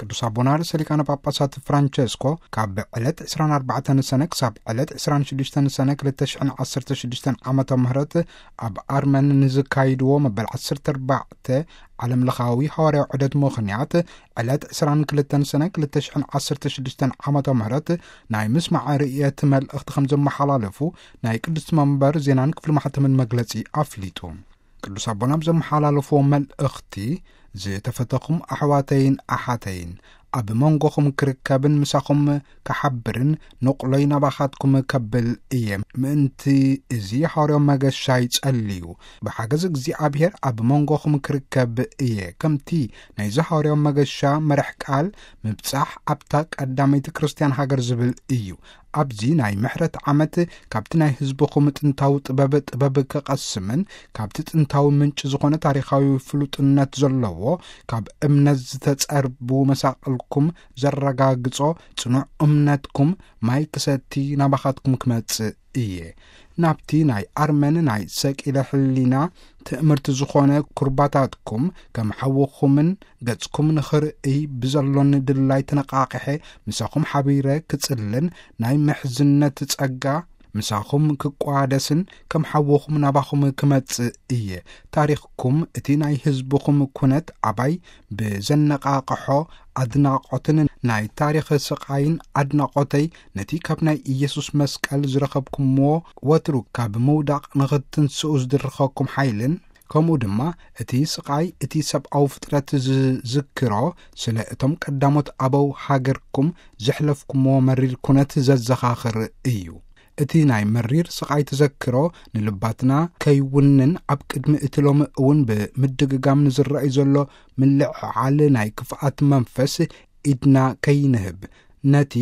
ቅዱስ ኣቦና ርእሰ ሊቃነ ጳጳሳት ፍራንቸስኮ ካብ ዕለት ዕስራን ኣርባዕተን ሰነ ክሳብ ዕለት ዕስራን ሽዱሽተን ሰነ ክልተ ሽሕን ዓሰርተ ሽዱሽተን ዓመተ ምህረት ኣብ ኣርመን ንዝካይድዎ መበል ዓሰርተ ኣርባዕተ ዓለም ለኻዊ ሃዋርያዊ ዑደት ምኽንያት ዕለት ዕስራን ክልተን ሰነ ክልተ ሽሕን ዓሰርተ ሽዱሽተን ዓመተ ምህረት ናይ ምስማዕ ርእየት መልእኽቲ ከም ዘመሓላለፉ ናይ ቅድስቲ መንበር ዜናን ክፍሊ ማሕተምን መግለጺ ኣፍሊጡ። ቅዱስ ኣቦና ኣብ ዘመሓላለፍዎ መልእኽቲ፣ ዝተፈተኹም ኣሕዋተይን ኣሓተይን፣ ኣብ መንጎኹም ክርከብን ምሳኹም ክሓብርን ንቑሎይ ናባኻትኩም ከብል እየ። ምእንቲ እዚ ሃዋርያዊ መገሻ ይጸልዩ። ብሓገዝ እግዚኣብሔር ኣብ መንጎኹም ክርከብ እየ። ከምቲ ናይዚ ሃዋርያዊ መገሻ መራሕ ቃል፣ ምብጻሕ ኣብታ ቀዳመይቲ ክርስትያን ሃገር ዝብል እዩ። ኣብዚ ናይ ምሕረት ዓመት ካብቲ ናይ ህዝብኹም ጥንታዊ ጥበብ፣ ጥበብ ክቐስምን ካብቲ ጥንታዊ ምንጪ ዝኾነ ታሪኻዊ ፍሉጥነት ዘለዎ ካብ እምነት ዝተጸርቡ መሳቕልኩም ዘረጋግጾ ጽኑዕ እምነትኩም ማይ ክሰቲ ናባኻትኩም ክመጽእ እየ። ናብቲ ናይ ኣርመን ናይ ሰቂለ ሕሊና ትእምርቲ ዝኾነ ኩርባታትኩም ከም ሓውኹምን ገጽኩም ንኽርእይ ብዘሎኒ ድላይ ተነቃቂሐ ምሳኹም ሓቢረ ክጽልን ናይ ምሕዝነት ጸጋ ምሳኹም ክቋደስን ከም ሓውኹም ናባኹም ክመጽእ እየ። ታሪኽኩም እቲ ናይ ህዝብኹም ኩነት ኣባይ ብዘነቃቅሖ ኣድናቆትን ናይ ታሪኽ ስቃይን ኣድናቆተይ ነቲ ካብ ናይ ኢየሱስ መስቀል ዝረኸብኩምዎ ወትሩ ካብ ምውዳቕ ንኽትንስኡ ዝድርኸኩም ሓይልን ከምኡ ድማ እቲ ስቃይ እቲ ሰብኣዊ ፍጥረት ዝዝክሮ ስለ እቶም ቀዳሞት ኣበው ሃገርኩም ዘሕለፍኩምዎ መሪር ኩነት ዘዘኻኽር እዩ። እቲ ናይ መሪር ስቃይ ተዘክሮ ንልባትና ከይውንን ኣብ ቅድሚ እቲ ሎሚ እውን ብምድግጋም ንዝረኣይ ዘሎ ምልዕዓል ናይ ክፍኣት መንፈስ ኢድና ከይንህብ ነቲ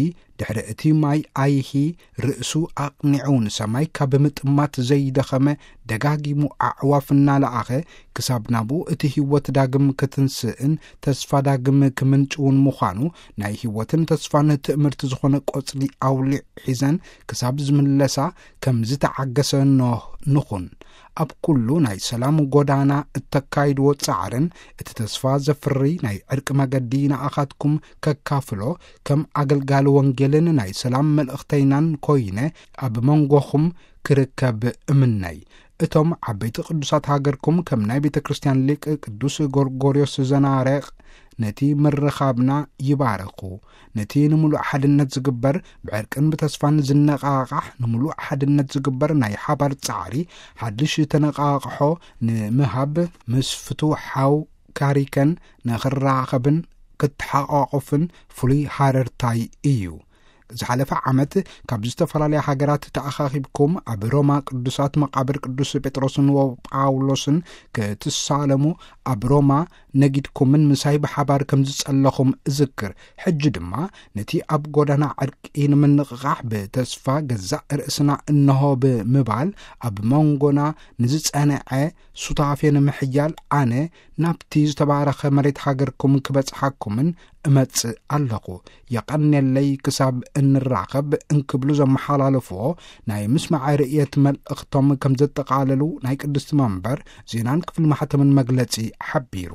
ድሕሪ እቲ ማይ ኣይሂ ርእሱ ኣቕኒዑ ንሰማይ ካብ ምጥማት ዘይደኸመ ደጋጊሙ ኣዕዋፍ እናለኣኸ ክሳብ ናብኡ እቲ ህይወት ዳግም ክትንስእን ተስፋ ዳግም ክምንጭውን ምዃኑ ናይ ህይወትን ተስፋን ትእምርቲ ዝኾነ ቆጽሊ ኣውሊዕ ሒዘን ክሳብ ዝምለሳ ከም ዝተዓገሰ ኖህ ንኹን። ኣብ ኩሉ ናይ ሰላም ጎዳና እተካይድዎ ጻዕርን እቲ ተስፋ ዘፍሪ ናይ ዕርቂ መገዲ ንኣኻትኩም ከካፍሎ ከም ኣገልጋሊ ወንጌልን ናይ ሰላም መልእኽተይናን ኮይነ ኣብ መንጎኹም ክርከብ እምነይ። እቶም ዓበይቲ ቅዱሳት ሃገርኩም ከም ናይ ቤተ ክርስቲያን ሊቅ ቅዱስ ጎርጎርዮስ ዘናረቕ ነቲ ምርኻብና ይባረኹ። ነቲ ንምሉእ ሓድነት ዝግበር ብዕርቅን ብተስፋን ዝነቃቃሕ ንምሉእ ሓድነት ዝግበር ናይ ሓባር ጻዕሪ ሓድሽ ተነቃቅሖ ንምሃብ ምስ ፍቱው ሓው ካሪከን ንኽራኸብን ክትሓቋቑፍን ፍሉይ ሃረርታይ እዩ። ዝሓለፈ ዓመት ካብ ዝተፈላለያ ሃገራት ተኣኻኺብኩም ኣብ ሮማ ቅዱሳት መቓብር ቅዱስ ጴጥሮስን ወጳውሎስን ክትሳለሙ ኣብ ሮማ ነጊድኩምን ምሳይ ብሓባር ከም ዝጸለኹም እዝክር። ሕጂ ድማ ነቲ ኣብ ጎዳና ዕርቂ ንምንቕቓሕ ብተስፋ ገዛእ ርእስና እንሆ ብምባል ኣብ መንጎና ንዝጸንዐ ሱታፌ ንምሕያል ኣነ ናብቲ ዝተባረኸ መሬት ሃገርኩም ክበጽሓኩምን እመጽእ ኣለኹ። የቐንየለይ ክሳብ እንራኸብ እንክብሉ ዘመሓላለፍዎ ናይ ምስማዐ ርእየት መልእኽቶም ከም ዘጠቓለሉ ናይ ቅድስቲ መንበር ዜናን ክፍሊ ማሕተምን መግለጺ ሓቢሩ።